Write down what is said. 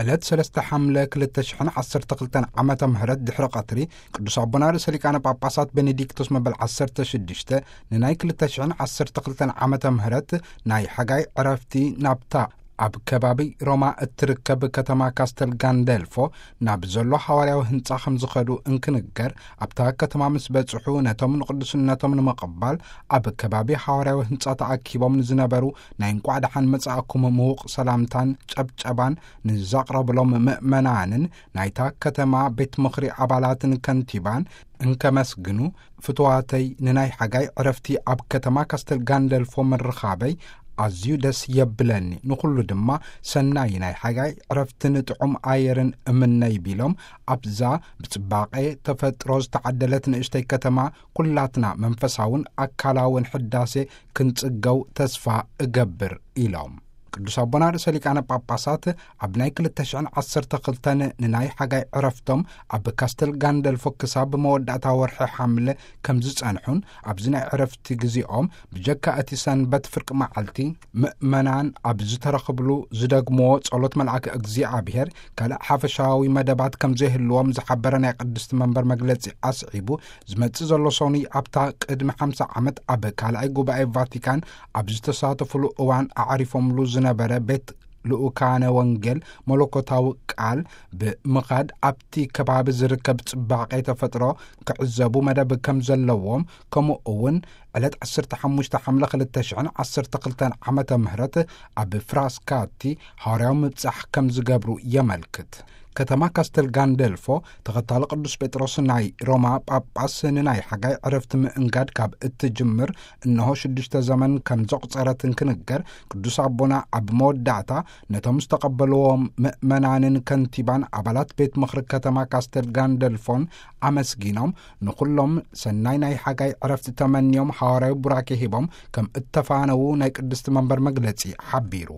ዕለት ሰለስተ ሓምለ ክልተ ሽሕን ዓሰርተ ክልተን ዓመተ ምህረት ድሕሪ ቀትሪ፣ ቅዱስ ኣቦና ርእሰ ሊቃነ ጳጳሳት ቤኔዲክቶስ መበል ዓሰርተ ሽዱሽተ ንናይ ክልተ ሽሕን ዓሰርተ ክልተን ዓመተ ምህረት ናይ ሓጋይ ዕረፍቲ ናብታ ኣብ ከባቢ ሮማ እትርከብ ከተማ ካስተል ጋንደልፎ ናብ ዘሎ ሃዋርያዊ ህንጻ ከም ዝኸዱ እንክንገር፣ ኣብታ ከተማ ምስ በጽሑ፣ ነቶም ንቅዱስነቶም ንምቕባል ኣብ ከባቢ ሃዋርያዊ ህንጻ ተኣኪቦም ንዝነበሩ ናይ እንቋዕ ደሓን መጻእኩም ምዉቕ ሰላምታን ጨብጨባን ንዛቕረብሎም ምእመናንን ናይታ ከተማ ቤት ምኽሪ ኣባላትን ከንቲባን እንከመስግኑ፣ ፍትዋተይ፣ ንናይ ሓጋይ ዕረፍቲ ኣብ ከተማ ካስተል ጋንደልፎ ምርኻበይ ኣዝዩ ደስ የብለኒ። ንኹሉ ድማ ሰናይ ናይ ሓጋይ ዕረፍትን ጥዑም ኣየርን እምነይ ቢሎም፣ ኣብዛ ብጽባቐ ተፈጥሮ ዝተዓደለት ንእሽተይ ከተማ ኩላትና መንፈሳውን ኣካላውን ሕዳሴ ክንጽገው ተስፋ እገብር ኢሎም። ቅዱስ ኣቦና ርእሰ ሊቃነ ጳጳሳት ኣብ ናይ ክልተ ሽሕን ዓሰርተ ክልተን ንናይ ሓጋይ ዕረፍቶም ኣብ ካስተል ጋንደልፎ ክሳብ መወዳእታ ወርሒ ሓምለ ከም ዝጸንሑን፣ ኣብዚ ናይ ዕረፍቲ ግዜኦም ብጀካ እቲ ሰንበት ፍርቂ መዓልቲ ምእመናን ኣብ ዝተረኽብሉ ዝደግምዎ ጸሎት መልኣከ እግዚኣብሔር ካልእ ሓፈሻዊ መደባት ከም ዘይህልዎም ዝሓበረ ናይ ቅድስቲ መንበር መግለጺ ኣስዒቡ፣ ዝመጽእ ዘሎ ሰኑይ ኣብታ ቅድሚ ሓምሳ ዓመት ኣብ ካልኣይ ጉባኤ ቫቲካን ኣብ ዝተሳተፉሉ እዋን ኣዕሪፎምሉ ዝነበረ ቤት ልኡካነ ወንጌል መለኮታዊ ቃል ብምኻድ ኣብቲ ከባቢ ዝርከብ ጽባቐ ተፈጥሮ ክዕዘቡ መደብ ከም ዘለዎም፣ ከምኡ እውን ዕለት ዓሰርተ ሓሙሽተ ሓምለ ክልተ ሽሕን ዓሰርተ ክልተን ዓመተ ምህረት ኣብ ፍራስካቲ ሃዋርያዊ ምብጻሕ ከም ዝገብሩ የመልክት። ከተማ ካስተል ጋንደልፎ ተኸታሊ ቅዱስ ጴጥሮስ ናይ ሮማ ጳጳስ ንናይ ሓጋይ ዕረፍቲ ምእንጋድ ካብ እትጅምር እነሆ ሽዱሽተ ዘመን ከም ዘቑጸረት እንክንገር፣ ቅዱስ ኣቦና ኣብ መወዳእታ ነቶም ዝተቐበልዎም ምእመናንን ከንቲባን ኣባላት ቤት ምኽሪ ከተማ ካስተል ጋንደልፎን ኣመስጊኖም፣ ንኹሎም ሰናይ ናይ ሓጋይ ዕረፍቲ ተመንዮም፣ ሃዋርያዊ ቡራኬ ሂቦም ከም እተፋነዉ ናይ ቅድስቲ መንበር መግለጺ ሓቢሩ።